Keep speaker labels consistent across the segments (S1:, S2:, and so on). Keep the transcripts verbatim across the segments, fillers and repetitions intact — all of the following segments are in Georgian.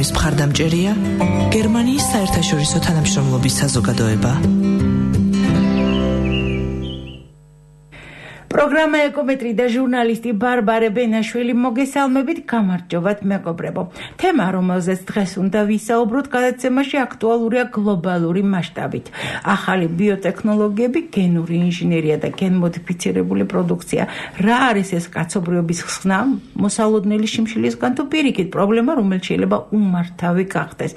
S1: პროგრამის მხარდამჭერია გერმანიის საერთაშორისო თანამშრომლობის საზოგადოება.
S2: პროგრამა ეკომეტრი და ჟურნალისტი ბარბარე ბენაშვილი მოგესალმებით, გამარჯობათ მეგობრებო. თემა, რომელზეც დღეს უნდა ვისაუბროთ, გადაცემაში აქტუალურია გლობალური მასშტაბით. ახალი ბიოტექნოლოგიები, გენური ინჟინერია და გენმოდიფიცირებული პროდუქცია. რა არის ეს კაცობრიობის ხსნა, მოსალოდნელი შიმშილისგან თუ პირიქით პრობლემა, რომელიც შეიძლება უმართავი გახდეს.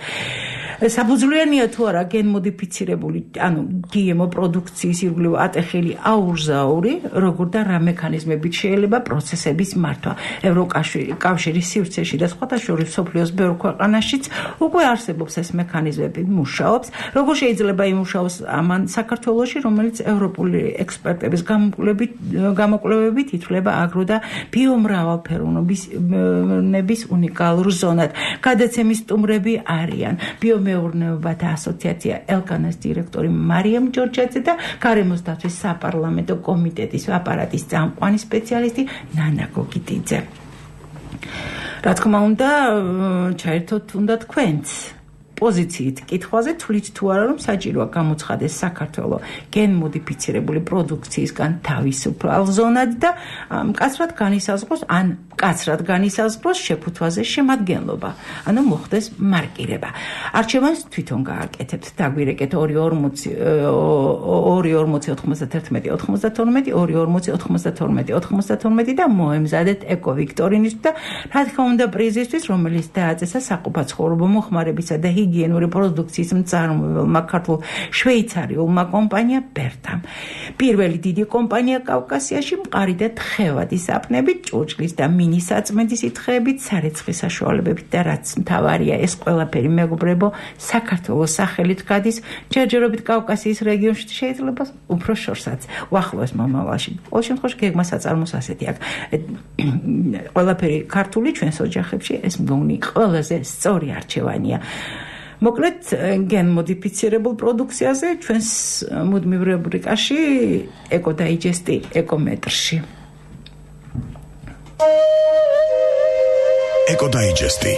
S2: საფუძვლიანია თუ არა გენმოდიფიცირებული, ანუ გიემო პროდუქციის ირგვლივ ატეხილი აურზაური, როგორ და რა მექანიზმებით შეიძლება პროცესების მართვა. ევროკავშირის სივრცეში და სხვათა შორის მსოფლიოს ბევრ ქვეყანაშიც უკვე არსებობს ეს მექანიზმები, მუშაობს. Როგორ შეიძლება იმუშაოს ამან საქართველოში, რომელიც ევროპული ექსპერტების გამოკვლევებით ითვლება აგრო და ბიომრავალფეროვნების უნიკალურ ზონად. გადაცემის სტუმრები არიან ბიომეურნეობათა ასოციაცია ელკანას დირექტორი მარიამ ჯორჯაძე და გარემოს დაცვის საპარლამენტო კომიტეტის აპარატის წამყვანი სპეციალისტი ნანა გოგიტიძე. რა თქმა უნდა, ჩაერთოთ უნდა თქვენც პოზიციით კითხვაზე, თვლით თუ არა, რომ საჭიროა გამოცხადეს საქართველო გენმოდიფიცირებული პროდუქციისგან თავისუფალ ზონად და მკაცრად განისაზღვროს ან მკაცრად განისაზღვროს შეფუთვაზე შემადგენლობა, ანუ მოხდეს მარკირება. არჩევანს თვითონ გააკეთებთ, დაგვირეკეთ ორი ორმოცი ოთხმოცდათერთმეტი ოთხმოცდათორმეტი ორი ორმოცი ოთხმოცდათორმეტი ოთხმოცდათორმეტი და მოემზადეთ ეკოვიქტორინის და რა თქმა უნდა პრიზისთვის, რომელიც დააწესა საყოფაცხოვრებო მოხმარებისა და ჰიგიენური პროდუქციის მწარმოებელმა ქართულ შვეიცარიულმა კომპანია ბერთამ. პირველი დიდი კომპანია კავკასიაში მყარი და თხევადი საპნებით, ჭურჭლის და მინისაწმენდის სითხეებით, სარეცხვის საშუალებებით და რაც მთავარია, ეს ყველაფერი მეგობრებო საქართველოს სახელით გადის, ჯერჯერობით კავკასიის რეგიონში შეიძლება უფრო შორსაც უახლოეს მომავალში. ყოველ შემთხვევაში გეგმა საწარმოს ასეთი აქვს. ყველაფერი ქართული ჩვენს ოჯახებში ეს მგონი ყველაზე სწორი არჩევანია. მოკლედ გენმოდიფიცირებულ პროდუქციაზე ჩვენს მუდმივ რუბრიკაში ეკოდაიჯესტი ეკომეტრში.
S3: ეკოდაიჯესტი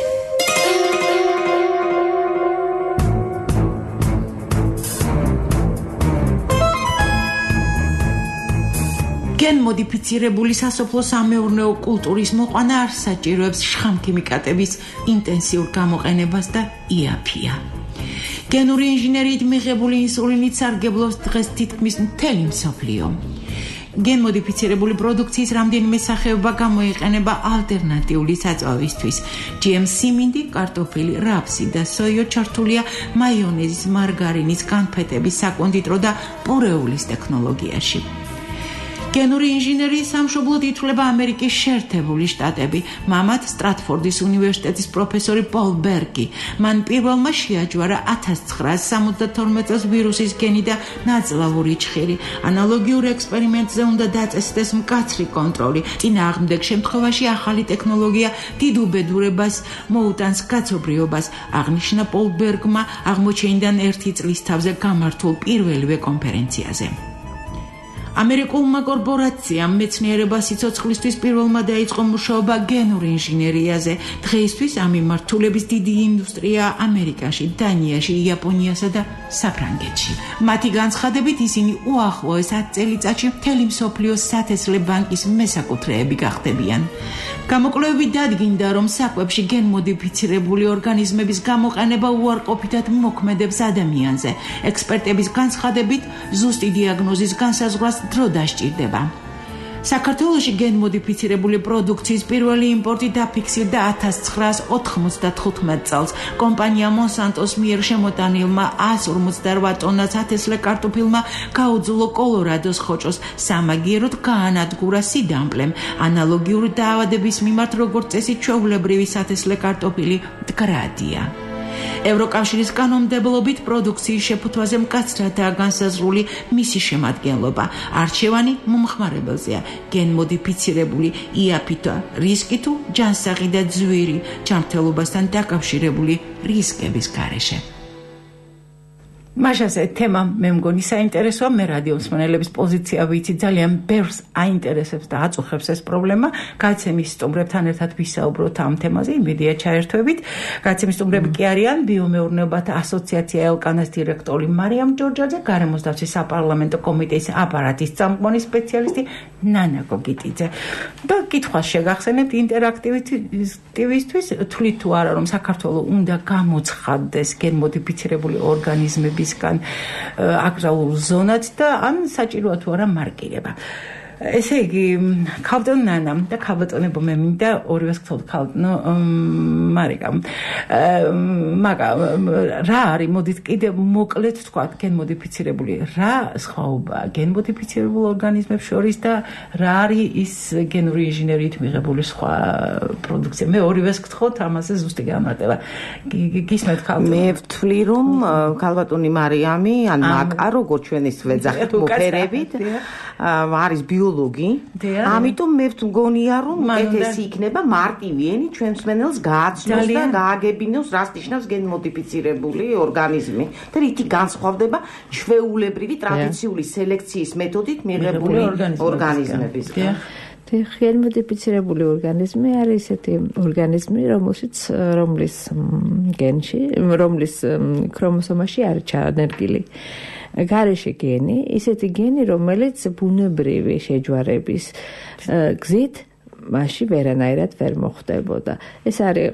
S2: გენმოდიფიცირებული სასოფლო-სამეურნეო კულტურის მოყვანა არ საჭიროებს შხამქიმიკატების ინტენსიურ გამოყენებას და იაფია. გენური ინჟინერიით მიღებული ინსულინით სარგებლობს დღეს თითქმის მთელი მსოფლიო. გენმოდიფიცირებული პროდუქციის რამდენიმე სახეობა გამოიყენება ალტერნატიული საწვავისთვის. ჯი ემ სიმინდი, კარტოფილი, რაფსი და სოიო ჩართულია მაიონეზის, მარგარინის, განფეტების, საკონდიტრო და პურეულის ტექნოლოგიაში. გენური ინჟინერიის სამშობლოდ ითვლება ამერიკის შეერთებული შტატები, მამად სტრატფორდის უნივერსიტეტის პროფესორი პოლ ბერგი. მან პირველმა შეაჯვარა ათას ცხრაასი სამოცდათორმეტ წელს ვირუსის გენი და ნაწლავური ჩხირი. ანალოგიურ ექსპერიმენტზე უნდა დაწესდეს მკაცრი კონტროლი. წინააღმდეგ შემთხვევაში ახალი ტექნოლოგია დიდ უბედურებას მოუტანს კაცობრიობას, აღნიშნა პოლ ბერგმა აღმოჩენიდან ერთი წლის თავზე გამართულ პირველივე კონფერენციაზე. ამერიკულმა კორპორაციამ მეცნიერება სიცოცხლისთვის პირველმა დაიწყო მუშაობა გენურ ინჟინერიაზე. დღეისთვის ამ მიმართულების დიდი ინდუსტრია ამერიკაში, დანიაში, იაპონიასა და საფრანგეთში. მათი განცხადებით ისინი უახლოეს ათ წელიწადში მთელი მსოფლიოს სათესლე ბანკის მესაკუთრეები გახდებიან. გამოკვლევები დადგინდა, რომ საკვებში გენმოდიფიცირებული ორგანიზმების გამოყენება უარყოფითად მოქმედებს ადამიანზე. ექსპერტების განცხადებით, ზუსტი დიაგნოზის განსაზღვრას დრო დასჭირდება. საქართველოში გენმოდიფიცირებული პროდუქციის პირველი იმპორტი დაფიქსირდა ათას ცხრაასი ოთხმოცდათხუთმეტ წელს. კომპანია მონსანტოს მიერ შემოტანილმა ას ორმოცდარვა ტონას ათესლე კარტოფილმა გაუძლო კოლორადოს ხოჭოს, სამაგიეროდ გაანადგურა სიდამპლემ. ანალოგიური დაავადების მიმართ როგორც წესი ჩვეულებრივი სათესლე კარტოფილი მდგრადია. ევროკავშირის კანონმდებლობით პროდუქციის შეფუთვაზე მკაცრადაა განსაზღვრული მისი შემადგენლობა. არჩევანი მომხმარებელზეა. გენმოდიფიცირებული იაფით რისკი თუ ჯანსაღი და ძვირი ჯანმრთელობასთან დაკავშირებული რისკების გარეშე. მაშასე თემა მე მგონი საინტერესოა მე რადიო მსმენელების პოზიცია ვიცი ძალიან ბევრს აინტერესებს და აწუხებს ეს პრობლემა გადაცემის სტუმრებთან ერთად ვისაუბროთ ამ თემაზე იმედია ჩაერთვებით გადაცემის სტუმრები კი არიან ბიომეურნეობათა ასოციაცია ელკანას დირექტორი მარიამ ჯორჯაძე გარემოს დაცვის საპარლამენტო კომიტეტის აპარატის წამყვანი სპეციალისტი ნანა გოგიტიძე და კითხვას შეგახსენებთ ინტერაქტივისტვის თვლით თუ არა რომ საქართველოს უნდა გამოცხადდეს გენმოდიფიცირებული ორგანიზმები ისკან აგრარულ ზონად და ან საჭიროა თუ არა მარკირება. ესე იგი, ქალბატონ ნანა და ქალბატონებო მე მინდა ორივეს გთხოვთ ქალბატონო მარიკა. მაგა რა არის მოდით კიდე მოკლედ თქვა გენმოდიფიცირებული რა სხვაობაა გენმოდიფიცირებულ ორგანიზმებს შორის და რა არის ის გენური ინჟინერიით მიღებული სხვა პროდუქცია. მე ორივეს გთხოვთ ამაზე ზუსტი განმარტება. გისმენთ ქალბატონო.
S3: მე ვთვლი რომ ქალბატონი მარიამი ან მაკა როგორც ჩვენ ის ვეძახით მოფერებით არის ბიოლოგი. ამიტომ მე ვგონია რომ ეს იქნება მარტივი ენით ჩვენ მსმენელს გააცნოს და გააგებინოს რას ნიშნავს გენმოდიფიცირებული ორგანიზმი და რითი განსხვავდება ჩვეულებრივი ტრადიციული სელექციის მეთოდით მიღებული ორგანიზმებისგან.
S4: გენმოდიფიცირებული ორგანიზმი არის ესეთი ორგანიზმი, რომელშიც რომლის გენში, რომლის ქრომოსომაში არის ჩანერგილი გარეშე გენი, ისეთი გენი, რომელიც ბუნებრივი შეჯვარების გზით მასში ვერანაირად ვერ მოხდებოდა. ეს არის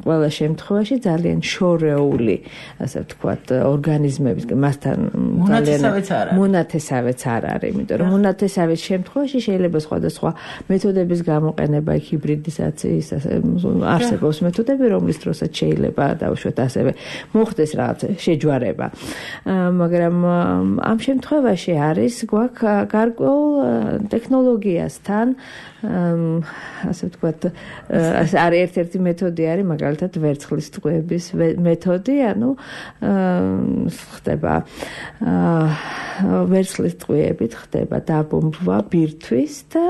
S4: ყველა შემთხვევაში ძალიან შორეული, ასე ვთქვათ, ორგანიზმების მასთან
S2: ძალიან
S4: მონათესავეც არ არის, იმიტომ რომ მონათესავის შემთხვევაში შეიძლება სხვადასხვა მეთოდების გამოყენება, ჰიბრიდიზაციის, არსებობს მეთოდები, რომლის დროსაც შეიძლება დავუშვათ ასევე მოხდეს რაღაც შეჯვარება. მაგრამ ამ შემთხვევაში არის გვაქვს გარკვეულ ტექნოლოგიასთან ასე ვთქვათ, არის ერთ-ერთი მეთოდი არის მაგალითად ვერცხლის ტყვეების მეთოდი, ანუ ხდება ვერცხლის ტყვეებით ხდება დაბომბვა ბირთვის და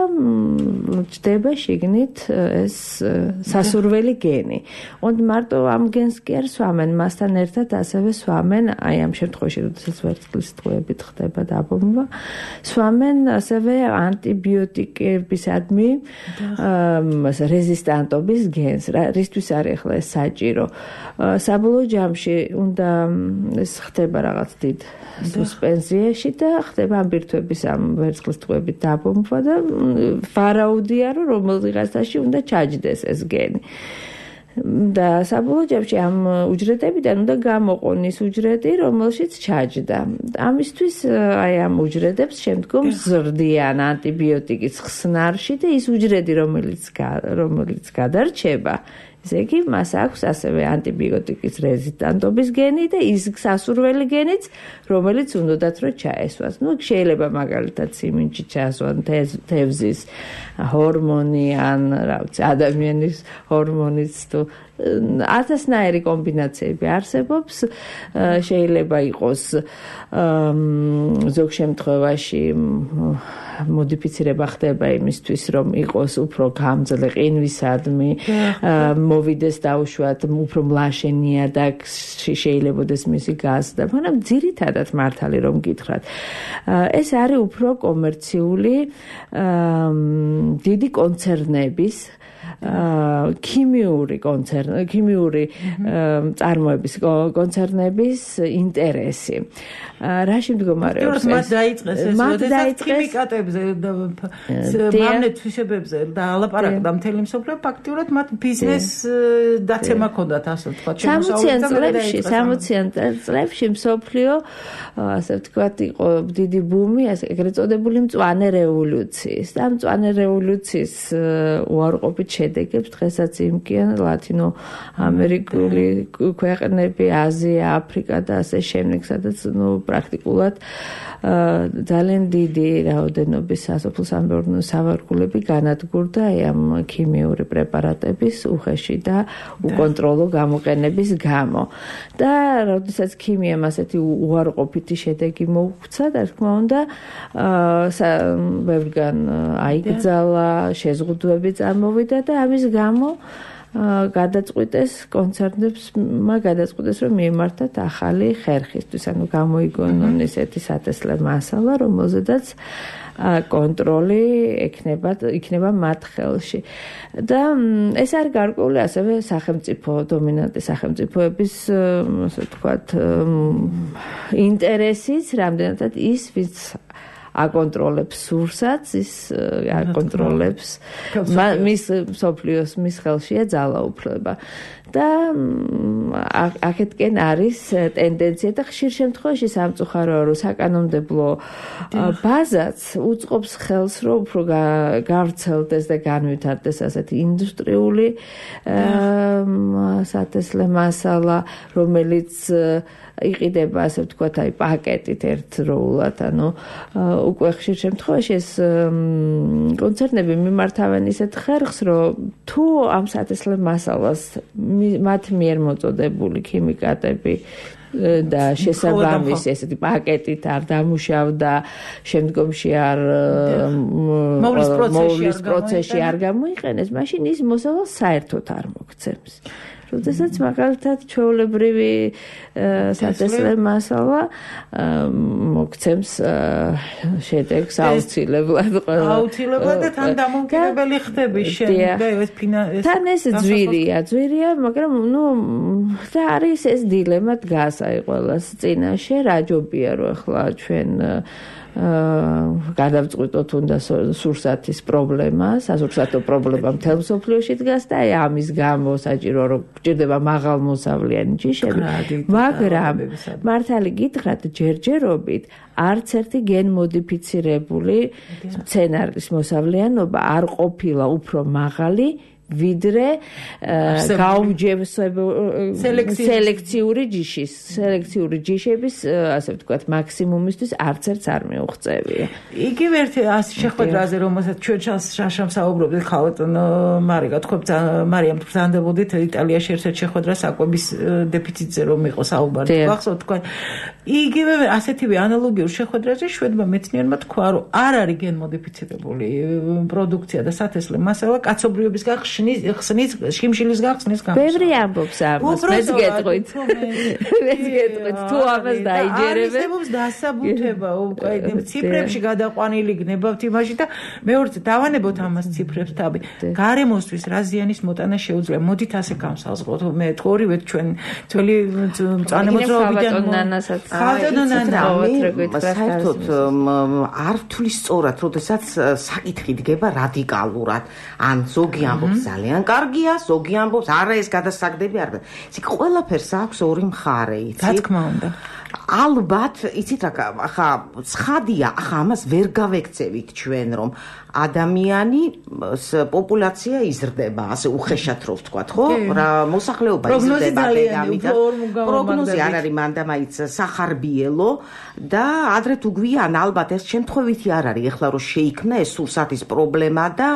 S4: ჩდება შიგნით ეს სასურველი გენი. Und მარტო ამ გენს კი არ სვამენ, მასთან ერთად ასევე სვამენ, აი ამ შემთხვევაში როდესაც ვერცხლის ტყვეებით ხდება დაბომბვა, სვამენ ასევე ანტიბიოტიკებისადმი რეზისტანტობის გენს, რისთვის არის ახლა ეს საჭირო. საბოლოო ჯამში უნდა ეს ხდება რაღაც დიდ სუსპენზიაში და ხდება ამ ბირთვების ამ ვერცხლის ტყვეებით დაბომბვა და ვარაუდია რომ რომელიღაცაში უნდა ჩაჯდეს ეს გენი. და საბოლოო ჯამში ამ უჯრედებიდან უნდა გამოყონოს უჯრედი, რომელშიც ჩაჯდა. ამისთვის აი ამ უჯრედებს შემდგომ ზრდიან ანტიბიოტიკის ხსნარში და ის უჯრედი, რომელიც რომელიც გადარჩება, ესე იგი, მას აქვს ასევე ანტიბიოტიკის რეზისტანტობის გენი და ის სასურველი გენიც, რომელიც უნდათ რომ ჩაესვას. ნუ შეიძლება მაგალითად სიმინჯი ჩაასვან თევზის ჰორმონი ან რა ვიცი, ადამიანის ჰორმონიც თუ ათასნაირი კომბინაციები არსებობს, შეიძლება იყოს ზოგ შემთხვევაში მოდიფიცირება ხდება იმისთვის, რომ იყოს უფრო გამძლე ყინვისადმი, მოვიდეს დაუშვათ უფრო მლაშენია და შეიძლებაოდეს მისი გაზრდა, მაგრამ ძირითადად მართალი რომ გითხრათ, ეს არის უფრო კომერციული დიდი კონცერნების ქიმიური კონცერნ ქიმიური წარმოების კონცერნების ინტერესი. რა შემდგომარეობს?
S2: მათ დაიწყეს ეს როდესაც ქიმიკატებზე მამნეთ თვისებებზე და ალაპარაკდა მთელი მსოფლიო, ფაქტიურად მათ ბიზნეს დაცემა ჰქონდათ, ასე ვთქვათ.
S4: სამოციან წლებში, სამოციან წლებში მსოფლიო, ასე ვთქვათ, იყო დიდი ბუმი, ასე ეგრეთ წოდებული მწვანე რევოლუციის. და მწვანე რევოლუციის უარყოფით შედეგებს დღესაც იმკიან ლათინო ამერიკული ქვეყნები, აზია, აფრიკა და ასე შემდეგ, სადაც ნუ პრაქტიკულად ძალიან დიდი რაოდენობის სასოფლო სამეურნეო სავარგულები განადგურდა ამ ქიმიური პრეპარატების უხეში და უკონტროლო გამოყენების გამო. და როდესაც ქიმიამ ასეთი უარყოფითი შედეგი მოუქცა, რა თქმა უნდა, ბევრგან აიგზალა, შეზღუდვები წარმოვიდა და ამის გამო გადაწყვიტეს კონცერნებმა გადაწყვიტეს რომ მიემართათ ახალი ხერხისთვის, ანუ გამოიგონონ ესეთი სათესლე მასალა, რომელზედაც კონტროლი ექნება იქნება მათ ხელში. და ეს არის გარკვეული ასევე სახელმწიფო დომინანტი სახელმწიფოების, ასე ვთქვათ, ინტერესიც, რამდენადაც ის ვინც აკონტროლებს სურსათს, ის აკონტროლებს მის სოფლიოს მის ხელშია ძალაუფლება. და აქეთკენ არის ტენდენცია და ხშირ შემთხვევაში სამწუხაროა რომ საკანონმდებლო ბაზაც უწყობს ხელს რომ უფრო გავრცელდეს და განვითარდეს ასეთი ინდუსტრიული სათესლე მასალა, რომელიც იყიდება ასე ვთქვათ აი პაკეტით ერთდროულად, ანუ უკვე ხშირ შემთხვევაში ეს კონცერნები მიმართავენ ისეთ ხერხს, რომ თუ ამ სათესლე მასალას მათ მიერ მოწოდებული ქიმიკატები და შესაბამისი ესეთი პაკეტით არ დამუშავდა, შემდგომში არ მოვლის პროცესში არ გამოიყენეს, მაშინ ის მოსავალს საერთოდ არ მოგცემს. როდესაც მაგალითად ჩვეულებრივი სათესლე მასალა მოგცემს შედეგს აუცილებლად
S2: აუცილებლად და თან დამოუკიდებელი ხდები შენ და ეს ფინანსი
S4: თან ეს ძვირია ძვირია მაგრამ ნუ და არის ეს დილემა დგას აი ყველას წინაშე რა ჯობია რომ ახლა ჩვენ გადავწყვიტოთ უნდა სურსათის პრობლემა, სასურსათო პრობლემა მთელ მსოფლიოში დგას და აი ამის გამო საჭირო რომ გჭირდება მაღალმოსავლიანი ჯიშები, მაგრამ მართალი გითხრათ ჯერჯერობით არც ერთი გენმოდიფიცირებული მცენარის მოსავლიანობა არ ყოფილა უფრო მაღალი ვიდრე სელექციური ჯიშის, სელექციური ჯიშების, ასე ვთქვათ, მაქსიმუმისთვის არც ერთს არ მიუღწევია.
S2: იგივე ერთი შეხვედრაზე, რომელსაც ჩვენ შაშამ საუბრობდით, ხალხო მარიკა, თქვენ მარიამ ბრძანდებოდით იტალიაში ერთ შეხვედრა საკვების დეფიციტზე რომ იყო საუბარი. გახსოვთ თქვენ? იგივე ასეთივე ანალოგიურ შეხვედრაზე შვედმა მეცნიერმა თქვა, რომ არ არის გენმოდიფიცირებული პროდუქცია და სათესლე მასალა კაცობრიობის გახსნის ხსნის შიმშილის გახსნის გამო.
S4: ბევრი ამბობს ამას, მეც გეტყვით. მეც გეტყვით, თუ ამას დაიჯერებენ.
S2: არსებობს დასაბუთება, უკვე ციფრებში გადაყვანილი გნებავთ იმაში და მეორე დავანებოთ ამას ციფრებს თავი. გარემოსთვის რა ზიანის მოტანა შეუძლია. მოდით ასე გამსაზღვროთ. მე თორივე ჩვენ ძველი მწვანე მოძრაობიდან
S4: ნანასაც
S3: საერთოდ არ ვთვლის სწორად, როდესაც საკითხი დგება რადიკალურად. ან ზოგი ამბობს ძალიან კარგია, ზოგი ამბობს არა ეს გადასაგდები არ. იქ ყველაფერს აქვს ორი მხარე, იცით?
S2: რა თქმა უნდა.
S3: ალბათ, იცით რა, ხა ცხადია, ხა ამას ვერ გავექცევით ჩვენ რომ ადამიანი პოპულაცია იზრდება, ასე უხეშად რო ვთქვათ, ხო? რა მოსახლეობა იზრდება დედამიწაზე. პროგნოზი არ არის მანდა მაინც სახარბიელო და ადრე თუ გვიან ალბათ ეს შემთხვევითი არ არის, ეხლა რომ შეიქმნა ეს სურსათის პრობლემა და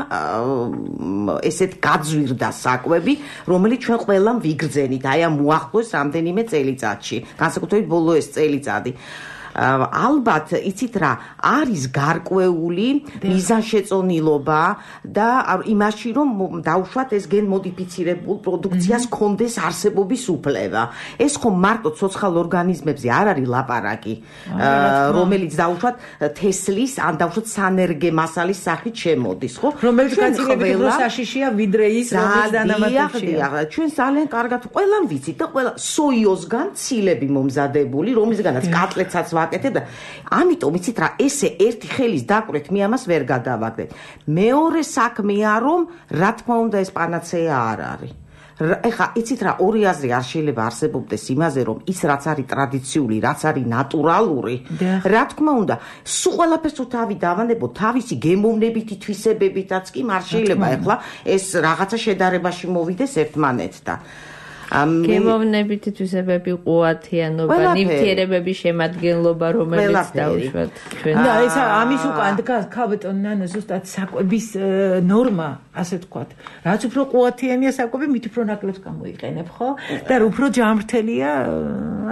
S3: ესეთ გაძვირდა საკვები, რომელიც ჩვენ ყველამ ვიგრძენით, აი ამ უახლოს რამდენიმე წელიწადში, განსაკუთრებით ბოლო ეს წელიწადი. ალბათ, იცით რა, არის გარკვეული მიზანშეწონილობა და იმაში, რომ დავუშვათ ეს გენმოდიფიცირებულ პროდუქციას კონდეს არსებობის უფლება. ეს ხომ მარტო ცოცხალ ორგანიზმებზე არ არის ლაპარაკი, რომელიც დავუშვათ თესლის, ან დავუშვათ სანერგე მასალის სახით შემოდის, ხო?
S2: რომელიც კაცინებით რო საშიშია, ვიდრე ის, რომელიც დანამატებია.
S3: ჩვენ ძალიან კარგად ყველამ ვიცით და ყველა სოიოსგან ცილები მომზადებული, რომლისგანაც კატლეტსაც აკეთებ და ამიტომ იცით რა ესე ერთი ხელის დაკვრით მე ამას ვერ გადავაგდებ. მეორე საქმეა რომ რა თქმა უნდა ეს პანაცეა არ არის. ეხა იცით რა ორი აზრი არ შეიძლება არსებობდეს იმაზე რომ ის რაც არის ტრადიციული, რაც არის ნატურალური, რა თქმა უნდა, სულ ყველაფერს თუ თავი დავანებო თავისი გემოვნებითი თვისებებითაც კი არ შეიძლება ეხლა ეს რაღაცა შედარებაში მოვიდეს ერთმანეთთან.
S4: გემოვნებითი თვისებები, ყუათიანობა, ნივთიერებების შემადგენლობა, რომელიც დავუშვათ ჩვენ.
S2: და ეს ამის უკან დგას ქავეტონ ნანო ზუსტად საკვების ნორმა, ასე ვთქვათ. რაც უფრო ყუათიანია საკვები, მით უფრო ნაკლებს გამოიყენებ, ხო? და უფრო ჯამრთელია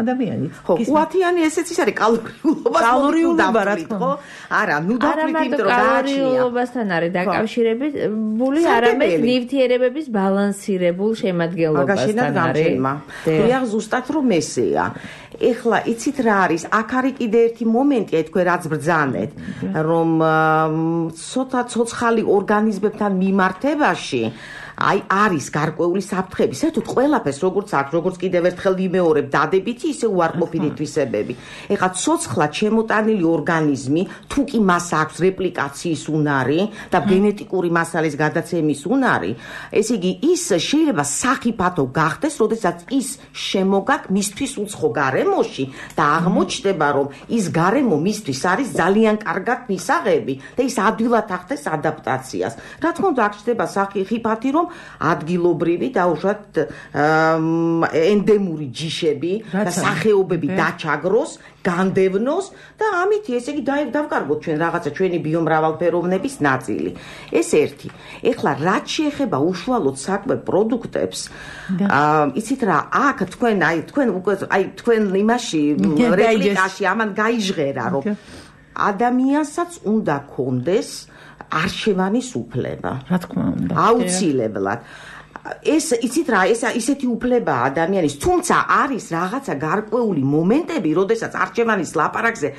S2: ადამიანიც.
S3: ხო, ყუათიანი ესეც ის არის კალორიულობა,
S2: კალორიულობა რა თქმა უნდა.
S3: არა, ნუ დაფრით იმ დრო გააჩნია.
S4: კალორიულობასთან არის დაკავშირებული, არამედ ნივთიერებების ბალანსირებულ შემადგენლობასთან არის.
S3: დიახ, ზუსტად რომ ესეა. ეხლა იცით რა არის? აქ არის კიდე ერთი მომენტია, თქვენ რაც ბრძანეთ, რომ ცოტა ცოცხალი ორგანიზმებთან მიმართებაში აი არის გარკვეული საფრთხები. საერთოდ ყველაფერს როგორც აქვს, როგორც კიდევ ერთხელ ვიმეორებ, დადებითი ისე უარყოფითი თვისებები. ეხლა ცოცხლად შემოტანილი ორგანიზმი, თუ კი მას აქვს რეპლიკაციის უნარი და გენეტიკური მასალის გადაცემის უნარი, ესე იგი ის შეიძლება სახიფათო გახდეს, როდესაც ის შემოგაკ მისთვის უცხო გარემოში და აღმოჩნდება, რომ ის გარემო მისთვის არის ძალიან კარგად მისაღები და ის ადვილად ახდენს ადაპტაციას. რა თქმა უნდა, აქ ხდება სახიფათი, რომ ადგილობრივი და უშუალოდ ენდემური ჯიშები და სახეობები დაჩაგროს, განდევნოს და ამით ესე იგი დავკარგოთ ჩვენ რაღაცა ჩვენი ბიომრავალფეროვნების ნაწილი. ეს ერთი. ეხლა რაც შეეხება უშუალოდ საკვებ პროდუქტებს, იცით რა, აქ თქვენ აი თქვენ უკვე აი თქვენ იმაში რეპლიკაში ამან გაიჟღერა, რომ ადამიანსაც უნდა კონდეს არჩევანის უფლება.
S2: რა თქმა უნდა.
S3: აუცილებლად. ეს იცით რა, ეს ისეთი უფლებაა ადამიანის, თუმცა არის რაღაცა გარკვეული მომენტები, როდესაც არჩევანის ლაპარაკზე,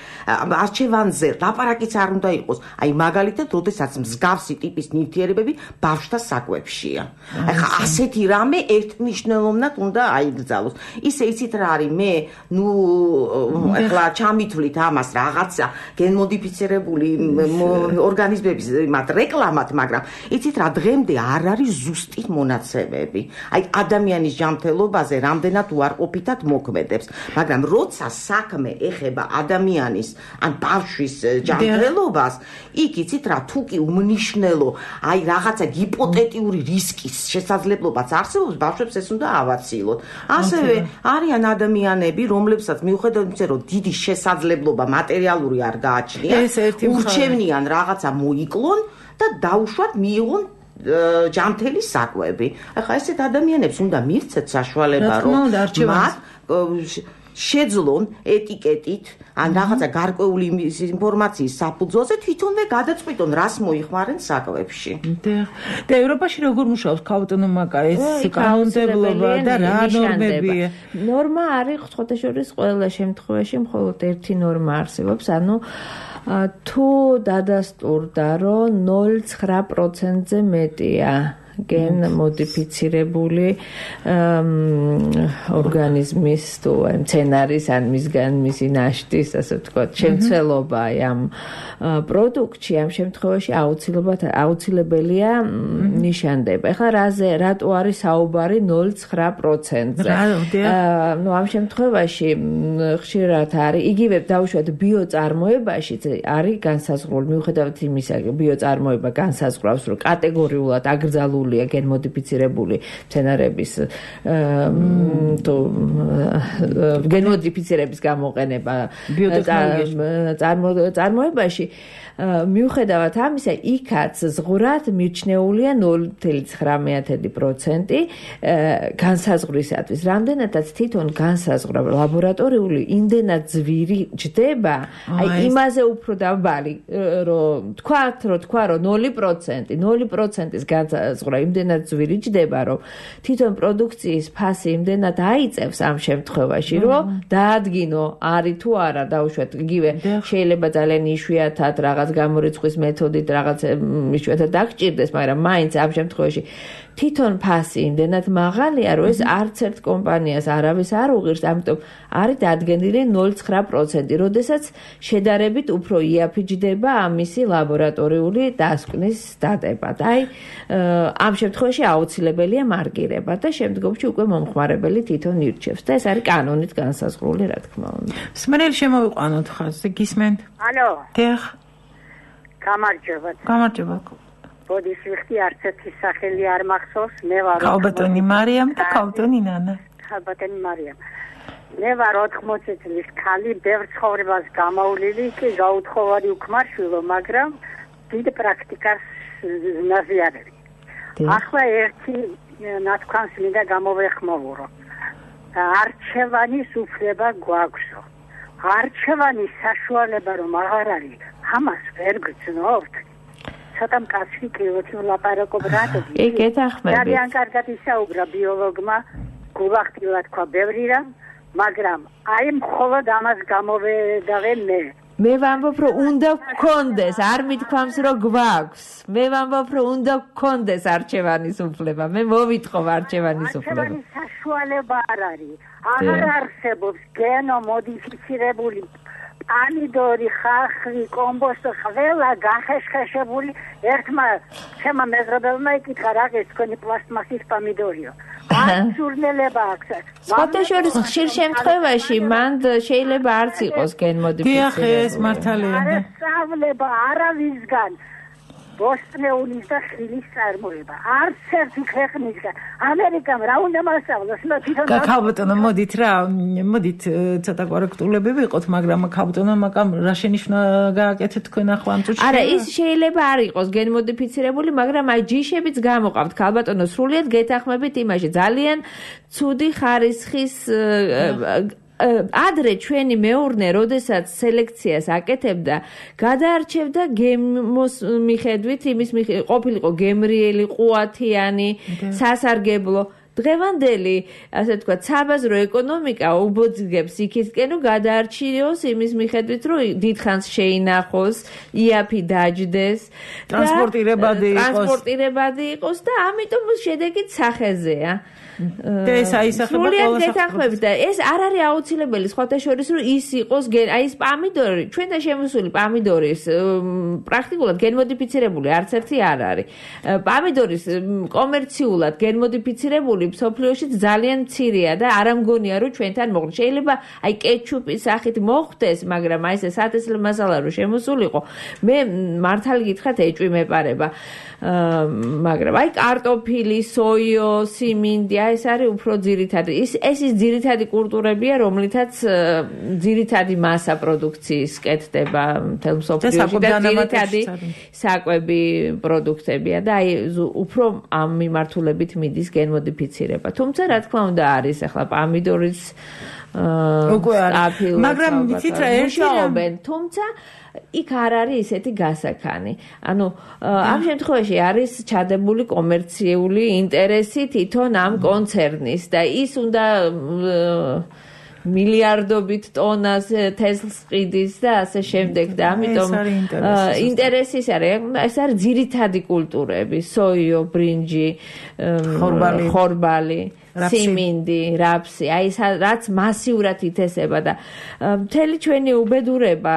S3: არჩევანზე ლაპარაკიც არ უნდა იყოს. აი მაგალითად, როდესაც მსგავსი ტიპის ნივთიერებები ბავშვთა საკვებშია. ახლა ასეთი რამე ერთმნიშვნელოვნად უნდა აიგზავნოს. ისე იცით რა არის, მე ნუ ახლა ჩამითვლით ამას რაღაცა გენმოდიფიცირებული ორგანიზმების მათ რეკლამად, მაგრამ იცით რა, დღემდე არ არის ზუსტი მონაცემები. აი ადამიანის ჯანმრთელობაზე რამდენად უარყოფითად მოქმედებს, მაგრამ როცა საქმე ეხება ადამიანის ან ბავშვის ჯანმრთელობას, იქ იცით რა, თუ კი უმნიშვნელო აი რაღაცა ჰიპოთეტიური რისკის შესაძლებლობაც არსებობს, ბავშვებს ეს უნდა ავაცილოთ. ასევე არიან ადამიანები, რომლებსაც მიუხედავად იმისა, რომ დიდი შესაძლებლობა მატერიალური არ გააჩნიათ, ურჩევნიან რაღაცა მოიკლონ და დაუშვათ მიიღონ ჯანმრთელი საკვები. ახლა ესეთ ადამიანებს უნდა მივცეთ საშუალება, რომ მათ შეძლონ ეტიკეტით ან რაღაცა გარკვეული ინფორმაციის საფუძველზე თვითონვე გადაწყვიტონ, რას მოიხმარენ საკვებში.
S2: და ევროპაში როგორ მუშაობს ქაუტონომაკა, ეს კანონმდებლობა და რა ნორმებია?
S4: ნორმა არის ხოთაშორის ყველა შემთხვევაში მხოლოდ ერთი ნორმა არსებობს, ანუ თუ დადასტურდა, რომ ნული კoma ცხრა პროცენტზე მეტია gen modificirებული ორგანიზმის თუ მცენარის ან მისგან მისი ნაშტის, ასე ვთქვათ, შემცველობა ამ პროდუქტში, ამ შემთხვევაში აუცილებლად აუცილებელია ნიშანდება. ეხლა რაზე, რატო არის საუბარი ნული კoma ცხრა პროცენტზე? ნუ ამ შემთხვევაში ხშირად არის, იგივე დავუშვათ ბიოწარმოებაში არის განსაზღვრული, მიუხედავად იმისა, ბიოწარმოება განსაზღვრავს, რომ კატეგორიულად აკრძალული გენმოდიფიცირებული მცენარების თუ გენმოდიფიცირების გამოყენება წარმოებაში, მიუხედავად ამისა, იქაც ზღურად მიჩნეულია ნული კoma ცხრა პროცენტი განსაზღვრისათვის. რამდენადაც თვითონ განსაზღვრა ლაბორატორიული იმდენად ძვირი ჯდება, აი იმაზე უფრო დაბალი, რომ თქვათ, რომ თქვა, რომ ნული პროცენტი, ნული პროცენტის განსაზღვრა იმდენად ძვირი ჯდება, რომ თვითონ პროდუქციის ფასი იმდენად აიწევს ამ შემთხვევაში, რომ დაადგინო არის თუ არა, დაუშვათ, იგივე შეიძლება ძალიან იშვიათად რაღაც გამორიცხვის მეთოდით რაღაც იშვიათად დაგჭირდეს, მაგრამ მაინც ამ შემთხვევაში თვითონ ფასი იმდენად მაღალია, რომ ეს არც ერთ კომპანიას არავის არ უღირს, ამიტომ არის დადგენილი ნული კoma ცხრა პროცენტი, როდესაც შედარებით უფრო იაფი ჯდება ამისი ლაბორატორიული დასკვნის დადებად. აი, ამ შემთხვევაში აუცილებელია მარკირება და შემდგომში უკვე მომხმარებელი თვითონ ირჩევს და ეს არის კანონით განსაზღვრული, რა თქმა უნდა.
S2: სმენელი შემოვიყვანოთ ხაზზე, გისმენთ?
S5: ალო.
S2: დიახ.
S5: გამარჯობა.
S2: გამარჯობა.
S5: ბოდის ვიხდი არც ერთი სახელი არ მახსოვს მე ვარ
S2: ქალბატონი მარიამ და ქალბატონი ნანა
S5: ქალბატონი მარიამ მე ვარ ოთხმოცი წლის ქალი ბევრ ცხოვრებას გამავლილი კი გაუთხოვარი უქმარშვილო მაგრამ დიდ პრაქტიკას ნაზიარები ახლა ერთი ნათქვამს მინდა გამოვეხმოვურო არჩევანის უფლება გვაქვსო არჩევანის საშუალება რომ აღარ არის ამას ვერ გძნობთ ცოტა მკაცრი კილოთი ვლაპარაკობ რატომ
S4: კი გეთახმებით
S5: ძალიან კარგად ისაუბრა ბიოლოგმა გულახდილა თქვა ბევრი რამ მაგრამ აი მხოლოდ ამას გამოვედავე მე
S4: მე ვამბობ რომ უნდა გქონდეს არ მithქვამს რომ გვაქვს მე ვამბობ რომ უნდა გქონდეს არჩევანის უფლება მე მოვიტყობ არჩევანის უფლება
S5: არჩევანის საშუალება არ არის აღარ არსებობს გენო მოდიფიცირებული პამიდორი, ხახვი, კომბოსტო, ყველა გახეშხეშებული ერთმა ჩემმა მეზრობელმა იკითხა რა ეს თქვენი პლასტმასის პამიდორიო. აცურნელება აქვს.
S4: სხვადასხვა ხშირ შემთხვევაში მან შეიძლება არც იყოს გენმოდიფიცირებული.
S2: დიახ, ეს მართალია.
S5: არა სწავლება არავისგან. ბოსტნეულის და ხილის წარმოება. არც ერთი ქვეყნისგან. ამერიკამ რა უნდა მასწავლოს?
S2: ქალბატონო, მოდით რა, მოდით ცოტა კორექტულები ვიყოთ, მაგრამ ქალბატონო, მაგამ რა შენიშვნა გააკეთეთ თქვენ ახლა ამ წუთში?
S4: არა, ის შეიძლება არ იყოს გენმოდიფიცირებული, მაგრამ აი ჯიშებიც გამოყავთ. ქალბატონო, სრულიად გეთახმებით იმაში. ძალიან ცუდი ხარისხის ადრე ჩვენი მეურნე, როდესაც სელექციას აკეთებდა, გადაარჩევდა გემოს მიხედვით, იმის ყოფილიყო გემრიელი, ყუათიანი, სასარგებლო. დღევანდელი, ასე თქვა, საბაზრო ეკონომიკა უბოძგებს იქისკენ, რომ გადაარჩიოს იმის მიხედვით, რომ დიდხანს შეინახოს, იაფი დაჯდეს,
S2: ტრანსპორტირებადი იყოს.
S4: ტრანსპორტირებადი იყოს და ამიტომ შედეგით სახეზეა.
S2: და ეს აისახება
S4: ყველა გეთახმებით და ეს არ არის აუცილებელი სხვათა შორის რომ ის იყოს აი ეს პამიდორი ჩვენთან შემოსული პამიდორის პრაქტიკულად გენმოდიფიცირებული არც ერთი არ არის პამიდორის კომერციულად გენმოდიფიცირებული მსოფლიოში ძალიან მცირეა და არ ამგონია რომ ჩვენთან მოხდეს შეიძლება აი კეჩუპის სახით მოხდეს მაგრამ აი ეს სათესლე მასალა რომ შემოსულიყო მე მართალი გითხრათ ეჭვი მეპარება მაგრამ აი კარტოფილი სოიო სიმინდი ეს არის უფრო ძირითადი. ის ეს ის ძირითადი კულტურებია, რომლითაც ძირითადი მასა პროდუქციის კეთდება მთელ მსოფლიოში და ძირითადი საკვები პროდუქტებია და აი უფრო ამ მიმართულებით მიდის გენმოდიფიცირება. თუმცა რა თქმა უნდა არის ახლა პამიდორის
S2: უკვე არის. მაგრამ ვიცით რა
S4: ერთობენ, თუმცა იქ არ არის ისეთი გასაქანი. ანუ ამ შემთხვევაში არის ჩადებული კომერციული ინტერესი თვითონ ამ კონცერნის და ის უნდა მილიარდობით ტონას თესლს ყიდის და ასე შემდეგ და ამიტომ ინტერესი ის არის ეს არის ძირითადი კულტურები სოიო ბრინჯი ხორბალი სიმინდი, რაფსი, აი რაც მასიურად ითესება და მთელი ჩვენი უბედურება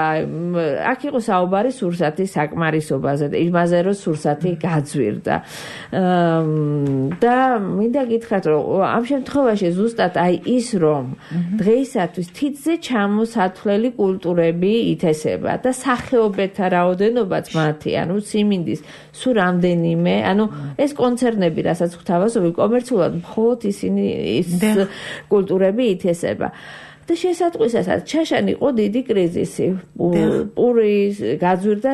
S4: აქ იყო საუბარი სურსათის საკმარისობაზე და იმაზე რომ სურსათი გაძვირდა. და მინდა გითხრათ რომ ამ შემთხვევაში ზუსტად აი ის რომ დღეისათვის თითზე ჩამოსათვლელი კულტურები ითესება და სახეობათა რაოდენობაც მათი, ანუ სიმინდის სულ რამდენიმე, ანუ ეს კონცერნები, რასაც გვთავაზობთ, კომერციულად მხოლოდ ისინი ის კულტურები ითესება. და შესატყვისასაც ჩაშან იყო დიდი კრიზისი. პური გაძვირდა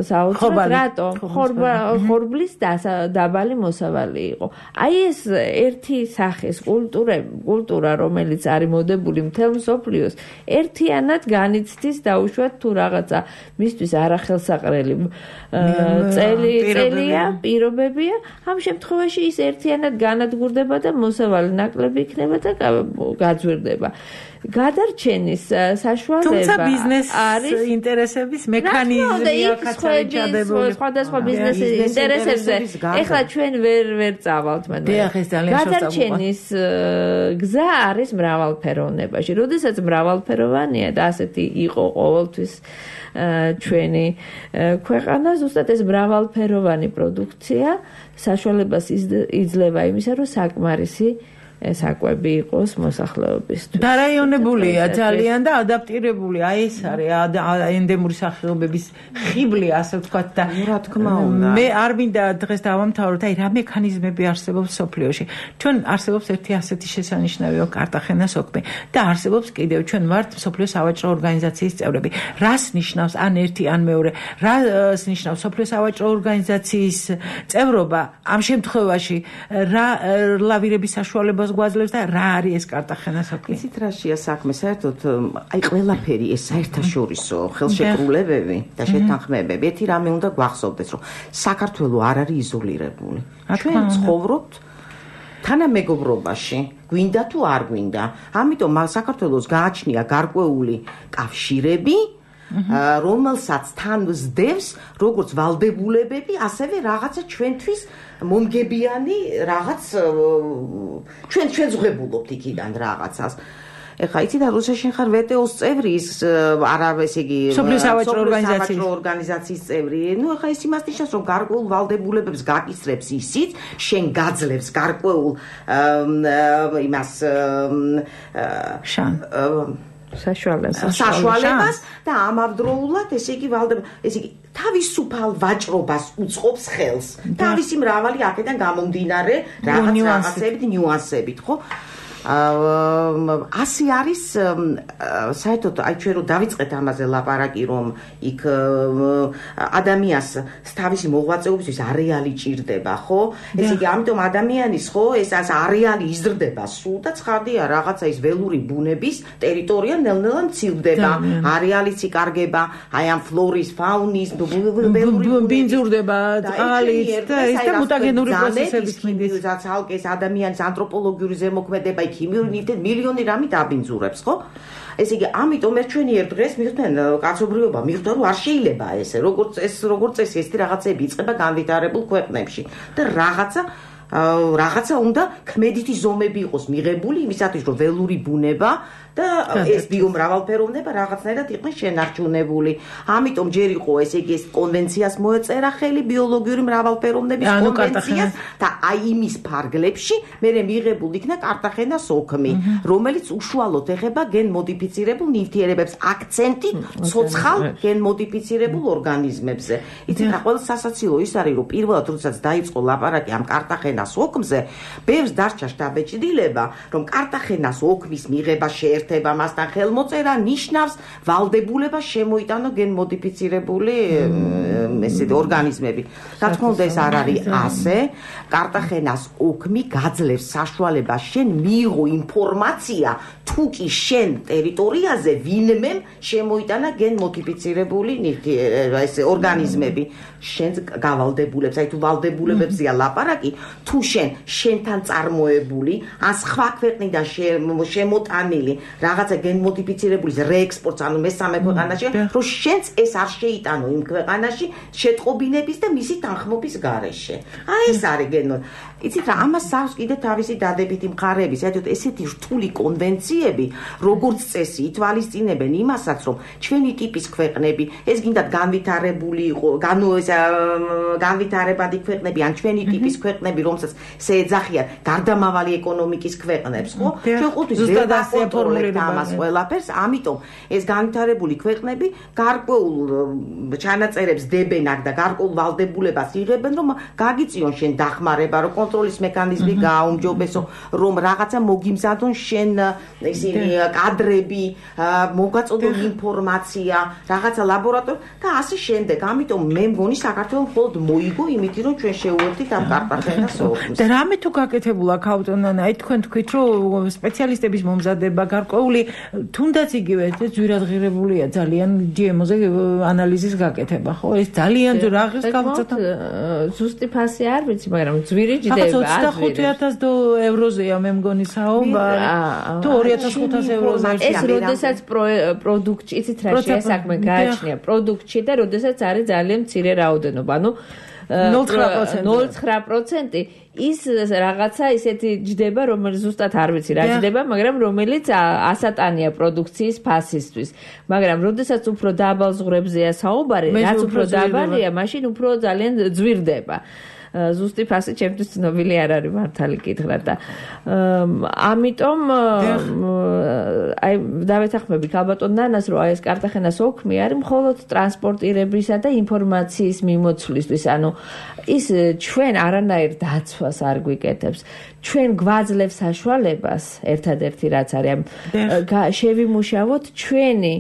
S4: საოცრად რატომ? ხორბლის დაბალი მოსავალი იყო. აი ეს ერთი სახის კულტურა, კულტურა, რომელიც არის მოდებული მთელ მსოფლიოს, ერთიანად განიცდის დაუშვათ თუ რაღაცა მისთვის არახელსაყრელი წელი წელია, პირობებია. ამ შემთხვევაში ის ერთიანად განადგურდება და მოსავალი ნაკლები იქნება და გაძვირდება. გადარჩენის საშუალება
S2: თუმცა ბიზნესის ინტერესების მექანიზმია კაცალეჭადებული
S4: სხვადასხვა ბიზნესის ინტერესებზე ეხლა ჩვენ ვერ ვერ წავალთ მაგრამ გადარჩენის გზა არის მრავალფეროვნებაში. როდესაც მრავალფეროვანია და ასეთი იყო ყოველთვის ჩვენი ქვეყანა, ზუსტად ეს მრავალფეროვანი პროდუქცია საშუალებას იძლევა იმისა, რომ საკმარისი საკვები იყოს მოსახლეობისთვის.
S2: დარაიონებულია ძალიან და ადაპტირებული. აი ეს არის ენდემური სახეობების ხიბლი, ასე ვთქვათ და
S3: რა თქმა უნდა.
S2: მე არ მინდა დღეს დავამთავროთ, აი რა მექანიზმები არსებობს სოფლიოში. ჩვენ არსებობს ერთი ასეთი შესანიშნავი კარტახენას ოკმე და არსებობს კიდევ ჩვენ ვართ სოფლიო სავაჭრო ორგანიზაციის წევრები. რას ნიშნავს ან ერთი ან მეორე? რას ნიშნავს სოფლიო სავაჭრო ორგანიზაციის წევრობა? ამ შემთხვევაში რა ლავირების საშუალებას გვაძლევს და რა არის ეს კარტახენას ოკმე?
S3: იცით რაშია საქმე? საერთოდ აი ყველაფერი ეს საერთაშორისო ხელშეკრულებები და შეთანხმებები ერთი რამე უნდა გვახსოვდეს, რომ საქართველო არ არის იზოლირებული. ჩვენ ცხოვრობთ თანამეგობრობაში, გვინდა თუ არ გვინდა. ამიტომ საქართველოს გააჩნია გარკვეული კავშირები, რომელსაც თან ზდევს როგორც ვალდებულებები, ასევე რაღაცა ჩვენთვის მომგებიანი რაღაც ჩვენ ჩვენ ზღებულობთ იქიდან რაღაცას. ეხლა იცი და რუსეთში ხარ ვეტეოს წევრი ის არა ესე იგი
S2: სოფლიო სავაჭრო
S3: ორგანიზაციის წევრი. ნუ ეხლა ის იმას ნიშნავს რომ გარკვეულ ვალდებულებებს გაკისრებს ისიც შენ გაძლევს გარკვეულ იმას
S2: შან საშუალებას
S3: საშუალებას და ამავდროულად ესე იგი ვალდება ესე იგი თავისუფალ ვაჭრობას უწყობს ხელს. თავისი მრავალი აქედან გამომდინარე რაღაც რაღაცებით ნიუანსებით, ხო? ასე არის საერთოდ აი ჩვენ რო დავიწყეთ ამაზე ლაპარაკი რომ იქ ადამიანს თავისი მოღვაწეობისთვის არეალი ჭირდება ხო ესე იგი ამიტომ ადამიანის ხო ეს არეალი იზრდება სულ და ცხადია რაღაცა ის ველური ბუნების ტერიტორია ნელ-ნელა მცირდება არეალიც იკარგება აი ამ ფლორის ფაუნის ველური
S2: ბინძურდება წყალიც და ეს და მუტაგენური პროცესების მინდის
S3: ცალკე ადამიანის ანთროპოლოგიური ზემოქმედება ქიმიური ნივთები მილიონი რამით აბინძურებს, ხო? ესე იგი, ამიტომ ერთ ჩვენი ერთ დღეს მიხვდნენ კაცობრიობა, მიხვდა რომ არ შეიძლება ესე, როგორც ეს როგორც წესი ეს რაღაცები იწყება განვითარებულ ქვეყნებში და რაღაცა რაღაცა უნდა ქმედითი ზომები იყოს მიღებული იმისათვის რომ ველური ბუნება და ეს ბიომრავალფეროვნება რაღაცნაირად იყვნენ შენარჩუნებული. ამიტომ ჯერ იყო ესე იგი ეს კონვენციას მოეწერა ხელი ბიოლოგიური მრავალფეროვნების კონვენციას და აი იმის ფარგლებში მერე მიღებულ იქნა კარტახენას ოქმი, რომელიც უშუალოდ ეხება გენმოდიფიცირებულ ნივთიერებებს, აქცენტით ცოცხალ გენმოდიფიცირებულ ორგანიზმებზე. იცით რა ყველა სასაცილო ის არის რომ პირველად როდესაც დაიწყო ლაპარაკი ამ კარტახენას ოქმზე, ბევრს დარჩა შთაბეჭდილება, რომ კარტახენას ოქმის მიღება შეერთ მასთან ხელმოწერა ნიშნავს ვალდებულება შემოიტანო გენმოდიფიცირებული ესეთი ორგანიზმები. რა თქმა უნდა ეს არ არის ასე. კარტახენას ოქმი გაძლევს საშუალებას შენ მიიღო ინფორმაცია თუ კი შენ ტერიტორიაზე ვინმე შემოიტანა გენმოდიფიცირებული ეს ორგანიზმები. შენ გავალდებულებს, აი თუ ვალდებულებებზია ლაპარაკი, თუ შენ შენთან წარმოებული ან სხვა ქვეყნიდან შემოტანილი რაღაცა გენმოდიფიცირებული რეექსპორტს ანუ მესამე ქვეყანაში, რომ შენც ეს არ შეიტანო იმ ქვეყანაში შეტყობინების და მისი თანხმობის გარეშე. აი ეს არის გენო. იცით რა, ამას აქვს კიდე თავისი დადებითი მხარეები, საერთოდ ესეთი რთული კონვენციები, როგორც წესი, ითვალისწინებენ იმასაც, რომ ჩვენი ტიპის ქვეყნები, ეს გინდათ განვითარებული იყო, განო ეს განვითარებადი ქვეყნები, ან ჩვენი ტიპის ქვეყნები, რომელსაც შეეძახიან გარდამავალი ეკონომიკის ქვეყნებს, ხო? ჩვენ ყოველთვის ვერ დაკონტროლებთ ამას ყველაფერს, ამიტომ ეს განვითარებული ქვეყნები გარკვეულ ჩანაწერებს დებენ აქ და გარკვეულ ვალდებულებას იღებენ, რომ გაგიწიონ შენ დახმარება, რომ კონტროლის მექანიზმი გააუმჯობესო, რომ რაღაცა მოგიმზადონ შენ ისინი კადრები, მოგაწოდონ ინფორმაცია, რაღაცა ლაბორატორია და ასე შემდეგ. ამიტომ მე მგონი საქართველოს მხოლოდ მოიგო იმით, რომ ჩვენ შევუერთდით ამ კარტახენას ოქმს.
S2: და რამე თუ გაკეთებულა ქაუტონანა, აი თქვენ თქვით, რომ სპეციალისტების მომზადება გარკვეული თუნდაც იგივე ძვირადღირებულია ძალიან ჯი ემ ო-ზე ანალიზის გაკეთება, ხო? ეს ძალიან ძვირადღირს გამწოთა
S4: ზუსტი ფასი არ ვიცი, მაგრამ ძვირი ჯდება.
S2: ოცდახუთი ათასი ევროზეა მე მგონი საუბა. თუ ორი ათას ხუთას ევროზე
S4: ეს როდესაც პროდუქტი, იცით რა შეესაქმე გააჩნია პროდუქტში და როდესაც არის ძალიან მცირე რაოდენობა, ანუ ნულ ცხრა პროცენტი ის რაღაცა ისეთი ჯდება, რომელიც ზუსტად არ ვიცი რა ჯდება, მაგრამ რომელიც ასატანია პროდუქციის ფასისთვის. მაგრამ როდესაც უფრო დაბალ ზღვრებზეა საუბარი, რაც უფრო დაბალია, მაშინ უფრო ძალიან ძვირდება. ზუსტი ფასი ჩემთვის ცნობილი არ არის მართალი კითხრა და ამიტომ აი დავეთანხმები ქალბატონ ნანას რომ აი ეს კარტახენას ოქმი არის მხოლოდ ტრანსპორტირებისა და ინფორმაციის მიმოცვლისთვის ანუ ის ჩვენ არანაირ დაცვას არ გვიკეთებს ჩვენ გვაძლევს საშუალებას ერთადერთი რაც არის შევიმუშავოთ ჩვენი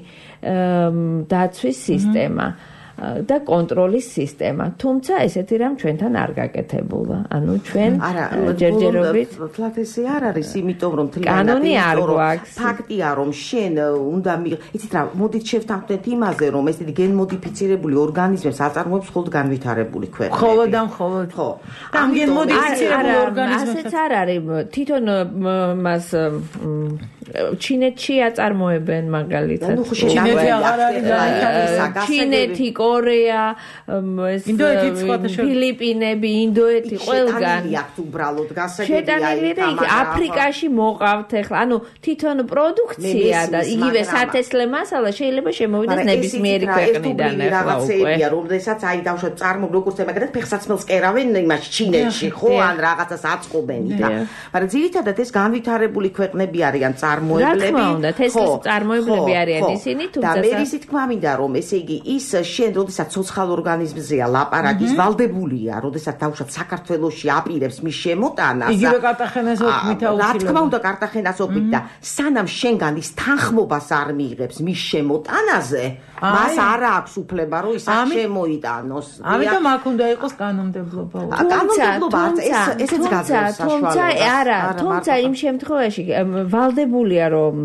S4: დაცვის სისტემა და კონტროლის სისტემა. თუმცა ესეთი რამ ჩვენთან არ გაკეთებულა. ანუ ჩვენ ჯერჯერობით
S3: ფლატესი არ არის, იმიტომ რომ
S4: კანონი არ გვაქვს.
S3: ფაქტია რომ შენ უნდა იცით რა, მოდით შევთანხმდეთ იმაზე, რომ ესეთი გენმოდიფიცირებული ორგანიზმებს აწარმოებს მხოლოდ განვითარებული ქვეყნები.
S2: მხოლოდ და მხოლოდ.
S3: ხო.
S2: ამ გენმოდიფიცირებული ორგანიზმებს
S4: ასეც არ არის. თვითონ მას ჩინეთში აწარმოებენ მაგალითად.
S3: ნუ ჩინეთი აღარ
S4: არის ჩინეთი კორეა, ფილიპინები, ინდოეთი, ყველგან.
S3: აქ უბრალოდ გასაგებია
S4: იქ აფრიკაში მოყავთ ახლა. ანუ თვითონ პროდუქცია და იგივე სათესლე მასალა შეიძლება შემოვიდეს ნებისმიერი ქვეყნიდან ახლა უკვე.
S3: რაღაცეებია, რომდესაც აი დავშოთ წარმო როგორც მაგალითად ფეხსაცმელს კერავენ იმაში ჩინეთში, ხო, ან რაღაცას აწყობენ და. მაგრამ ძირითადად ეს განვითარებული ქვეყნები არიან წარმოებლები.
S4: რა თქმა უნდა, თესლის წარმოებლები არიან ისინი, თუმცა
S3: და მე ისიც თქვა მინდა რომ ესე იგი ის შენ როდესაც ცოცხალ ორგანიზმზეა ლაპარაკი, ის ვალდებულია, როდესაც დავუშვათ საქართველოში აპირებს მის შემოტანას.
S2: იგივე კარტახენას ოქმით აუცილებლად.
S3: რა თქმა უნდა, კარტახენას ოქმით და სანამ შენგან ის თანხმობას არ მიიღებს მის შემოტანაზე, მას არ აქვს უფლება რომ ის შემოიტანოს.
S2: ამიტომ აქ უნდა იყოს კანონმდებლობა.
S3: კანონმდებლობა ეს ესეც გაძლევს საშუალებას.
S4: თუმცა არა, თუმცა იმ შემთხვევაში ვალდებულია რომ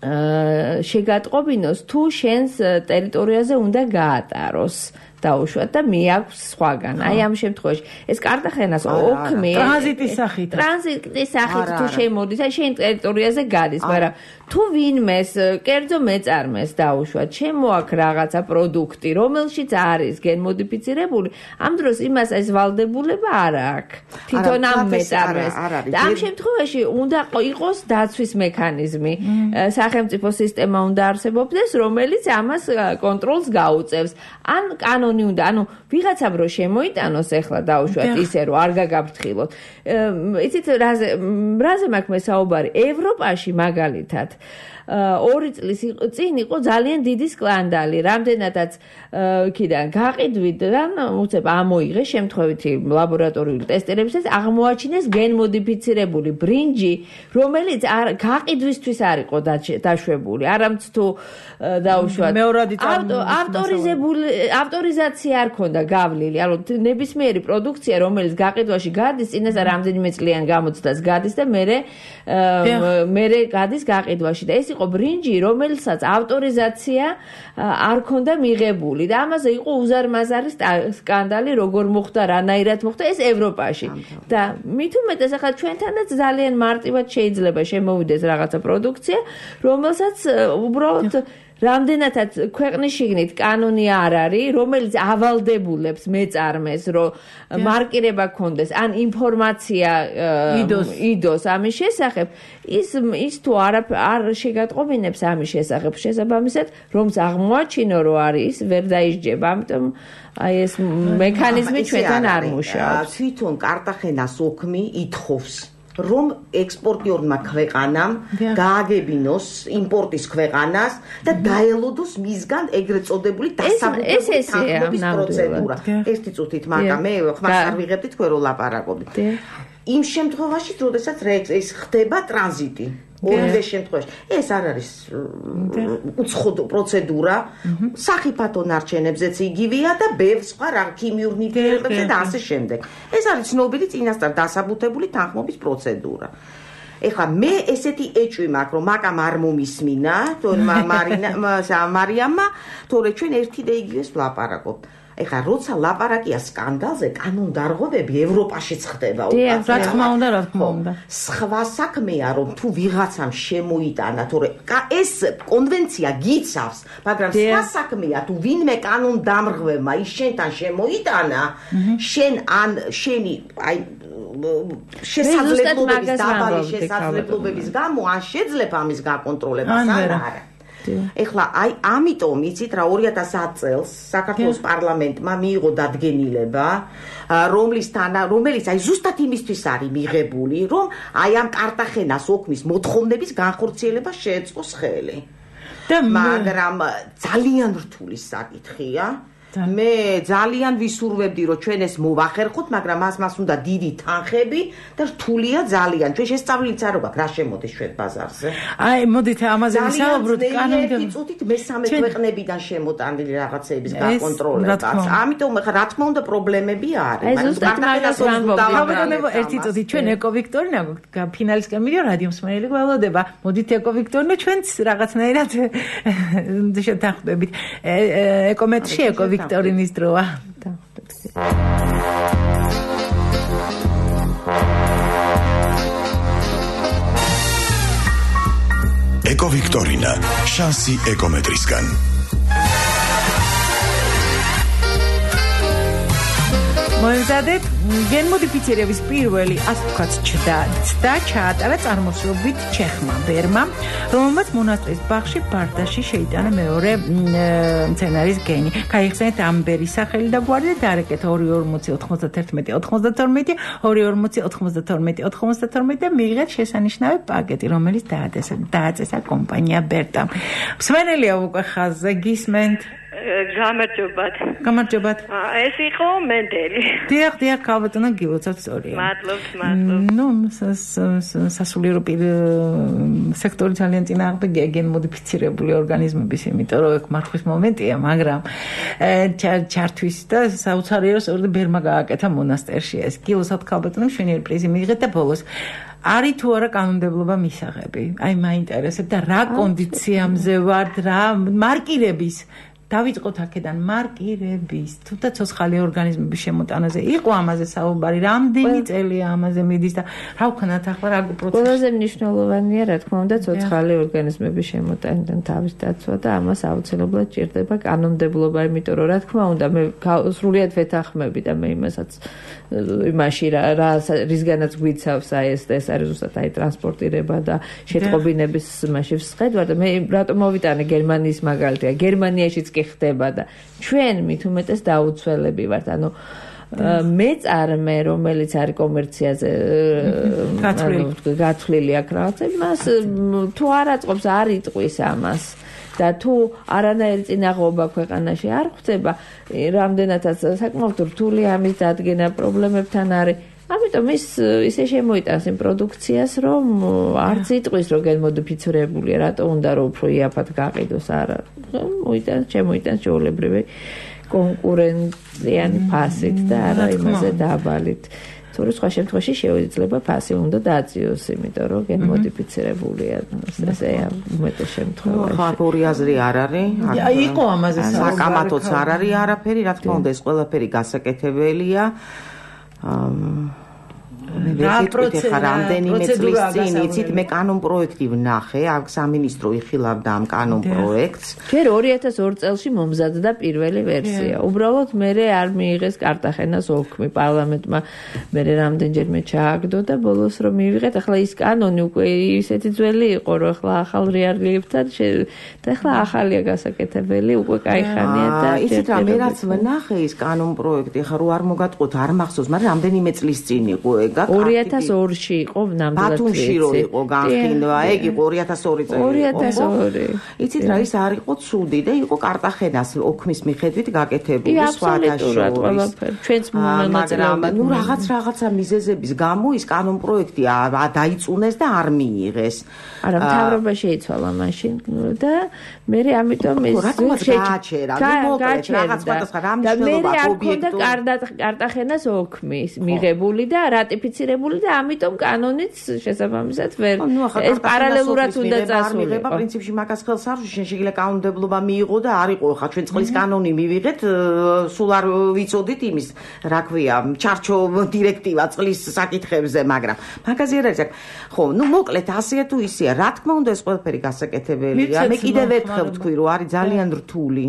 S4: შეგატყობინოს თუ შენს ტერიტორიაზე უნდა გაატაროს დაუშვათ და მიაქვს სხვაგან. აი ამ შემთხვევაში ეს კარტახენას ოქმი
S2: ტრანზიტის სახით
S4: ტრანზიტის სახით თუ შემოდის, აი შენ ტერიტორიაზე გადის, მაგრამ თუ ვინმეს კერძო მეწარმეს დაუშვათ, შემოაქვს რაღაცა პროდუქტი, რომელშიც არის გენმოდიფიცირებული, ამ დროს იმას ეს ვალდებულება არ აქვს. თვითონ ამ მეწარმეს. და ამ შემთხვევაში უნდა იყოს დაცვის მექანიზმი. სახელმწიფო სისტემა უნდა არსებობდეს, რომელიც ამას კონტროლს გაუწევს. ან კანონი უნდა, ანუ ვიღაცამ რო შემოიტანოს ახლა დაუშვათ ისე რომ არ გაგაფრთხილოთ. იცით რაზე რაზე მაქვს მე საუბარი? ევროპაში მაგალითად ორი წლის წინ იყო ძალიან დიდი სკანდალი, რამდენადაც იქიდან გაყიდვიდან უცებ ამოიღეს შემთხვევითი ლაბორატორიული ტესტირებისას აღმოაჩინეს გენმოდიფიცირებული ბრინჯი, რომელიც გაყიდვისთვის არ იყო დაშვებული, არამც თუ დაუშვათ ავტორიზებული ავტორიზაცია არ ქონდა გავლილი, ანუ ნებისმიერი პროდუქცია, რომელიც გაყიდვაში გადის, წინასწარ რამდენიმე წლიან გამოცდას გადის და მერე მერე გადის გაყიდვაში და ეს იყო ბრინჯი, რომელსაც ავტორიზაცია არ ქონდა მიღებული და ამაზე იყო უზარმაზარი სკანდალი, როგორ მოხდა, რანაირად მოხდა ეს ევროპაში. და მით უმეტეს ახლა ჩვენთანაც ძალიან მარტივად შეიძლება შემოვიდეს რაღაცა პროდუქცია, რომელსაც უბრალოდ რამდენადაც ქვეყნის შიგნით კანონი არ არის, რომელიც ავალდებულებს მეწარმეს, რომ მარკირება ქონდეს, ან ინფორმაცია იდოს ამის შესახებ, ის ის თუ არ არ შეგატყობინებს ამის შესახებ, შესაბამისად, რომც აღმოაჩინო, რომ არის, ვერ დაისჯება, ამიტომ აი ეს მექანიზმი ჩვენთან არ მუშაობს.
S3: თვითონ კარტახენას ოქმი ითხოვს რომ ექსპორტიორმა ქვეყანამ გააგებინოს იმპორტის ქვეყანას და დაელოდოს მისგან ეგრეთ წოდებული დასაბუთებული თანხმობის პროცედურა. ერთი წუთით მაგა მე ხმას არ ვიღებდი თქვენ რო ლაპარაკობთ. იმ შემთხვევაში, როდესაც ეს ხდება ტრანზიტი. ორივე შემთხვევაში. ეს არ არის უცხო პროცედურა. სახიფათო ნარჩენებზეც იგივეა და ბევრ სხვა რა ქიმიურ ნივთიერებებზე და ასე შემდეგ. ეს არის ცნობილი წინასწარ დასაბუთებული თანხმობის პროცედურა. ეხლა მე ესეთი ეჭვი მაქვს, რომ მაკამ არ მომისმინა, თორემ მარინა მარიამმა, თორე ჩვენ ერთი და იგივეს ვლაპარაკობთ. ეხლა როცა ლაპარაკია სკანდალზე, კანონდარღვევები ევროპაშიც ხდება
S2: უკან. რა თქმა უნდა, რა თქმა უნდა.
S3: სხვა საქმეა, რომ თუ ვიღაცამ შემოიტანა, თორე ეს კონვენცია გიცავს, მაგრამ სხვა საქმეა, თუ ვინმე კანონდამრღვევმა ის შენთან შემოიტანა, შენ ან შენი აი შესაძლებლობების დაბალი შესაძლებლობების გამო ან შეძლებ ამის გაკონტროლებას ან არა. ეხლა აი ამიტომ იცით რა ორი ათას ათ წელს საქართველოს პარლამენტმა მიიღო დადგენილება რომლის თანა რომელიც აი ზუსტად იმისთვის არის მიღებული რომ აი ამ კარტახენას ოქმის მოთხოვნების განხორციელება შეეწყოს ხელი მაგრამ ძალიან რთული საკითხია მე ძალიან ვისურვებდი რომ ჩვენ ეს მოვახერხოთ მაგრამ მას მას უნდა დიდი თანხები და რთულია ძალიან ჩვენ შესწავლილიც არ გვაქვს რა შემოდის ჩვენ ბაზარზე
S2: აი მოდით ამაზე ვისაუბროთ
S3: კანონმდებლობი წუთით მესამე ქვეყნებიდან შემოტანილი რაღაცეების გაკონტროლებაც ამიტომ ხა რა თქმა უნდა პრობლემები არის
S2: მაგრამ ზუსტად ამბობთ ერთი წუთი ჩვენ ეკოვიქტორინა ფინალისკენ მიდიო რადიო მსმენელი გველოდება მოდით ეკოვიქტორინა ჩვენც რაღაცნაირად შეთანხმდებით ეკომეტრში ეკოვიქტორინა Victorinis droa.
S6: Eco Victorina, შანსი ეკომეტრისგან.
S2: მოემზადეთ გენმოდიფიცირების პირველი ასე ვთქვათ ჩდა და ჩაატარა წარმოსვლობით ჩეხმა ბერმა რომელმაც მონასტრის ბაღში ბარდაში შეიტანა მეორე მცენარის გენი. გაიხსენეთ ამბერის სახელი და გვარი და დაარეკეთ ორი ორმოცი ოთხმოცდათერთმეტი ოთხმოცდათორმეტი ორი ორმოცი ოთხმოცდათორმეტი ოთხმოცდათორმეტი და მიიღეთ შესანიშნავი პაკეტი რომელიც დააწესა დააწესა კომპანია ბერტამ. მსმენელია უკვე ხაზზე გისმენთ
S7: გამარჯობათ.
S2: გამარჯობათ.
S7: ეს იყო მენდელი.
S2: დიახ, დიახ, ქალბატონო გილოცავთ სწორია.
S7: მადლობთ, მადლობთ.
S2: ნუ სასულიერო სექტორი ძალიან წინააღმდეგია გენმოდიფიცირებული ორგანიზმების, იმიტომ რომ ეგ მართვის მომენტია, მაგრამ ჩართვის და საოცარიერო სწორედ ბერმა გააკეთა მონასტერში ეს. გილოცავთ ქალბატონო, მშვენიერი პრიზი მიიღეთ და ბოლოს არის თუ არა კანონმდებლობა მისაღები. აი მაინტერესებს და რა კონდიციამზე ვართ, რა მარკირების დავიწყოთ აქედან მარკირების თუნდა ცოცხალი ორგანიზმების შემოტანაზე იყო ამაზე საუბარი რამდენი წელია ამაზე მიდის და რა ვქნათ ახლა რა პროცესი
S4: ყველაზე მნიშვნელოვანია რა თქმა უნდა ცოცხალი ორგანიზმების შემოტანიდან თავის დაცვა და ამას აუცილებლად ჭირდება კანონმდებლობა იმიტომ რომ რა თქმა უნდა მე სრულიად ვეთანხმები და მე იმასაც იმაში რა რისგანაც გვიცავს აი ეს ეს არის ზუსტად აი ტრანსპორტირება და შეტყობინების მასში ვსხედვა და მე რატომ მოვიტანე გერმანიის მაგალითია გერმანიაშიც ხდება და ჩვენ მით უმეტეს დაუცველები ვართ ანუ მეწარმე რომელიც არის კომერციაზე გათვლილი აქ რაღაცა მას თუ არ აწყობს არ იტყვის ამას და თუ არანაირი წინაღობა ქვეყანაში არ ხდება რამდენადაც საკმაოდ რთული ამის დადგენა პრობლემებთან არის ამიტომ ის ისე შემოიტანს იმ პროდუქციას რომ არც იტყვის რომ გენმოდიფიცირებულია რატო უნდა რომ უფრო იაფად გაყიდოს არა მოიტანს შემოიტანს ჩვეულებრივი კონკურენციანი ფასით და არა იმაზე დაბალით თორე სხვა შემთხვევაში შეიძლება ფასი უნდა დაძიოს იმიტომ რომ გენმოდიფიცირებულია ესეა უმეტეს შემთხვევაში
S3: ხო ორი აზრი არ არის
S2: იყო ამაზე
S3: საკამათოც არ არის არაფერი რა თქმა უნდა ეს ყველაფერი გასაკეთებელია რა პროცედურა რამდენიმე წლის წინ იცით მე კანონ პროექტი ვნახე აქ სამინისტრო იხილავდა ამ კანონ პროექტს
S4: ჯერ ორი ათას ორი წელში მომზადდა პირველი ვერსია უბრალოდ მე არ მიიღეს კარტახენას ოქმი პარლამენტმა მე რამდენჯერმე ჩააგდო და ბოლოს რომ მივიღეთ ახლა ის კანონი უკვე ისეთი ძველი იყო რომ ახლა ახალ რეალიებთან და ახლა ახალია გასაკეთებელი უკვე кайხანია და
S3: იცით რა მე რაც ვნახე ის კანონ პროექტი ახლა რო არ მოგატყოთ არ მახსოვს მაგრამ რამდენიმე წლის წინ იყო ეგ
S4: ორი ათას ორში იყო ნამდვილად
S3: ბათუმში რო იყო განხილვა ეგ იყო ორი ათას ორი წელი
S4: ორი ათას ორი
S3: იცით რა ის არ იყო ცუდი და იყო კარტახენას ოქმის მიხედვით გაკეთებული სხვათა შორის
S4: ჩვენც მონაწილეობა
S3: ნუ რაღაც რაღაცა მიზეზების გამო ის კანონ პროექტი დაიწუნეს და არ მიიღეს
S4: არა მთავრობა შეიცვალა მაშინ და მე ამიტომ ეს
S3: შეჩერა ნუ მოკლედ რაღაც სხვადასხვა რა მნიშვნელობა ობიექტური
S4: კარტახენას ოქმის მიღებული და რატიფიცირებული და ამიტომ კანონიც შესაბამისად ვერ ეს პარალელურად უნდა წასულიყო.
S3: პრინციპში მაგას ხელს არ უშენ შეიძლება კანონმდებლობა მიიღო და არ იყო ხა ჩვენ წყლის კანონი მივიღეთ სულ არ ვიცოდით იმის რა ქვია ჩარჩო დირექტივა წყლის საკითხებზე მაგრამ მაგაზე არ არის ხო ნუ მოკლედ ასეა თუ ისეა რა თქმა უნდა ეს ყველაფერი გასაკეთებელია მე კიდევ ერთხელ ვთქვი რომ არის ძალიან რთული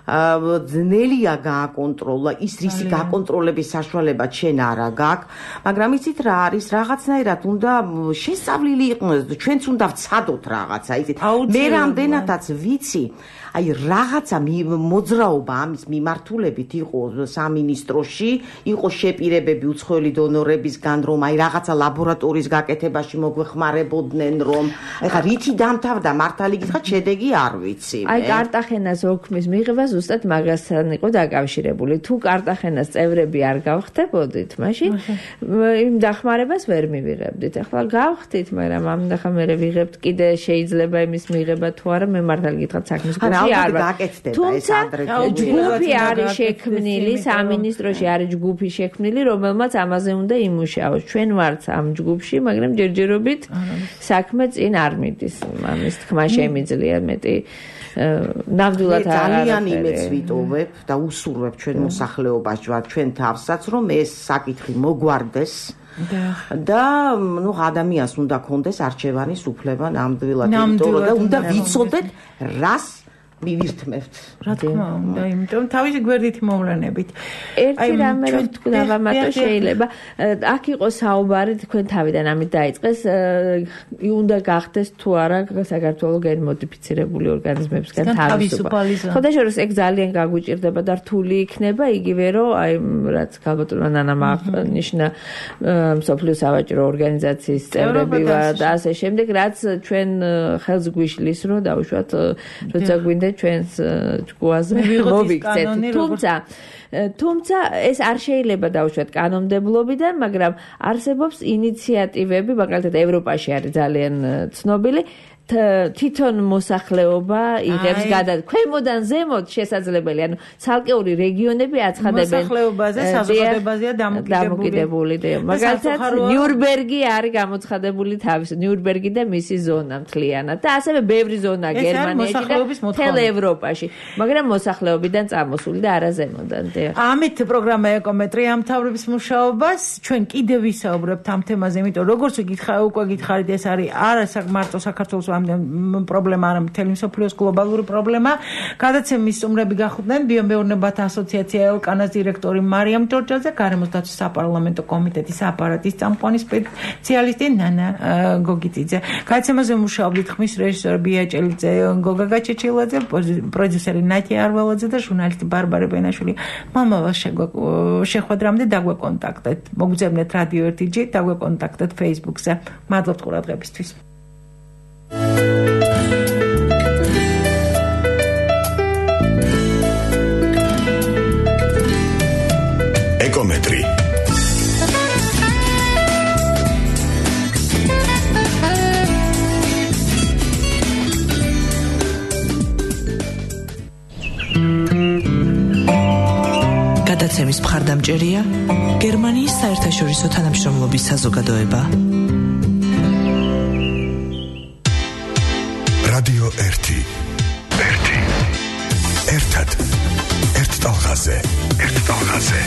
S3: ძნელია გააკონტროლა ის რისი გაკონტროლების საშუალება ჩვენ არა გაქვს, მაგრამ იცით რა არის, რაღაცნაირად უნდა შესწავლილი იყოს, ჩვენც უნდა ვცადოთ რაღაცა, იცით. მე რამდენადაც ვიცი, აი რაღაცა მოძრაობა ამის მიმართულებით იყო სამინისტროში, იყო შეპირებები უცხოელი დონორებისგან, რომ აი რაღაცა ლაბორატორიის გაკეთებაში მოგვეხმარებოდნენ, რომ ეხლა რითი დამთავრდა მართალი გითხრათ, შედეგი არ ვიცი.
S4: აი კარტახენას ოქმის მიღება ზუსტად მაგასთან იყო დაკავშირებული. თუ კარტახენას წევრები არ გავხდებოდით, მაშინ იმ დახმარებას ვერ მივიღებდით. ახლა გავხდით, მაგრამ ამ ნახა მე ვიღებთ კიდე შეიძლება იმის მიღება თუ არა, მე მართალი გითხრათ საქმის თუმცა ჯგუფი არის შექმნილი, სამინისტროში არის ჯგუფი შექმნილი, რომელმაც ამაზე უნდა იმუშაოს. ჩვენ ვართ ამ ჯგუფში, მაგრამ ჯერჯერობით საქმე წინ არ მიდის. ამის თქმა შემიძლია მეტი ნამდვილად
S3: ძალიან იმეც ვიტოვებ და უსურვებ ჩვენ მოსახლეობას, ჩვენ თავსაც, რომ ეს საკითხი მოგვარდეს. და ნუ ადამიანს უნდა კონდეს არჩევანის უფლება ნამდვილად, იმიტომ რომ უნდა ვიცოდეთ რას მივირთმევთ.
S2: რა თქმა უნდა, იმიტომ თავისი გვერდით მოვლენებით.
S4: ერთი რამე რომ თქვა დავამატო შეიძლება აქ იყო საუბარი თქვენ თავიდან ამით დაიწყეს, უნდა გახდეს თუ არა საქართველოს გენმოდიფიცირებული ორგანიზმებისგან თავისუფალი. ხოდაშორის ეგ ძალიან გაგვიჭირდება და რთული იქნება იგივე რომ აი რაც გალბატონმა ნანამ აღნიშნა მსოფლიო სავაჭრო ორგანიზაციის წევრები ვარ და ასე შემდეგ, რაც ჩვენ ხელს გვიშლის რომ დავუშვათ როცა გვინდა ჩვენს ჯგუფაზე მოვიქცეთ. თუმცა თუმცა ეს არ შეიძლება დავუშვათ კანონმდებლობიდან, მაგრამ არსებობს ინიციატივები, მაგალითად ევროპაში არის ძალიან ცნობილი თვითონ მოსახლეობა იღებს გადა ქვემოდან ზემოთ შესაძლებელი, ანუ ცალკეული რეგიონები აცხადებენ
S2: მოსახლეობაზე საზოგადოებაზეა დამოკიდებული.
S4: მაგალითად ნიურნბერგი არის გამოცხადებული თავის ნიურნბერგი და მისი ზონა მთლიანად და ასევე ბევრი ზონა გერმანიაში და მთელ ევროპაში, მაგრამ მოსახლეობიდან წამოსული და არა ზემოდან.
S2: ამით პროგრამა ეკომეტრი ამთავრებს მუშაობას. ჩვენ კიდევ ვისაუბრებთ ამ თემაზე, იმიტომ როგორც უკვე გითხარით, ეს არის არა მარტო საქართველოს პრობლემა, არა მთელი მსოფლიოს გლობალური პრობლემა. გადაცემის სტუმრები გახდნენ ბიომეურნეობათა ასოციაცია ელკანას დირექტორი მარიამ ჯორჯაძე, გარემოს დაცვის საპარლამენტო კომიტეტის აპარატის წამყვანი სპეციალისტი ნანა გოგიტიძე. გადაცემაზე მუშაობდით ხმის რეჟისორი ბიაჭელიძე, გოგა გაჩეჩილაძე, პროდიუსერი ნათია არველაძე და ჟურნალისტი ბარბარე ბენაშვილი. მამავა შეხვედრამდე დაგვეკონტაქტეთ. მოგძებნეთ რადიო ერთი ჯი, დაგვეკონტაქტეთ Facebook-ზე. მადლობთ ყურადღებისთვის.
S6: ეკომეტრი
S1: გადაცემის მხარდამჭერია გერმანიის საერთაშორისო თანამშრომლობის საზოგადოება.
S6: რადიო ერთი. ერთი. ერთად. ერთ ტალღაზე. ერთ ტალღაზე.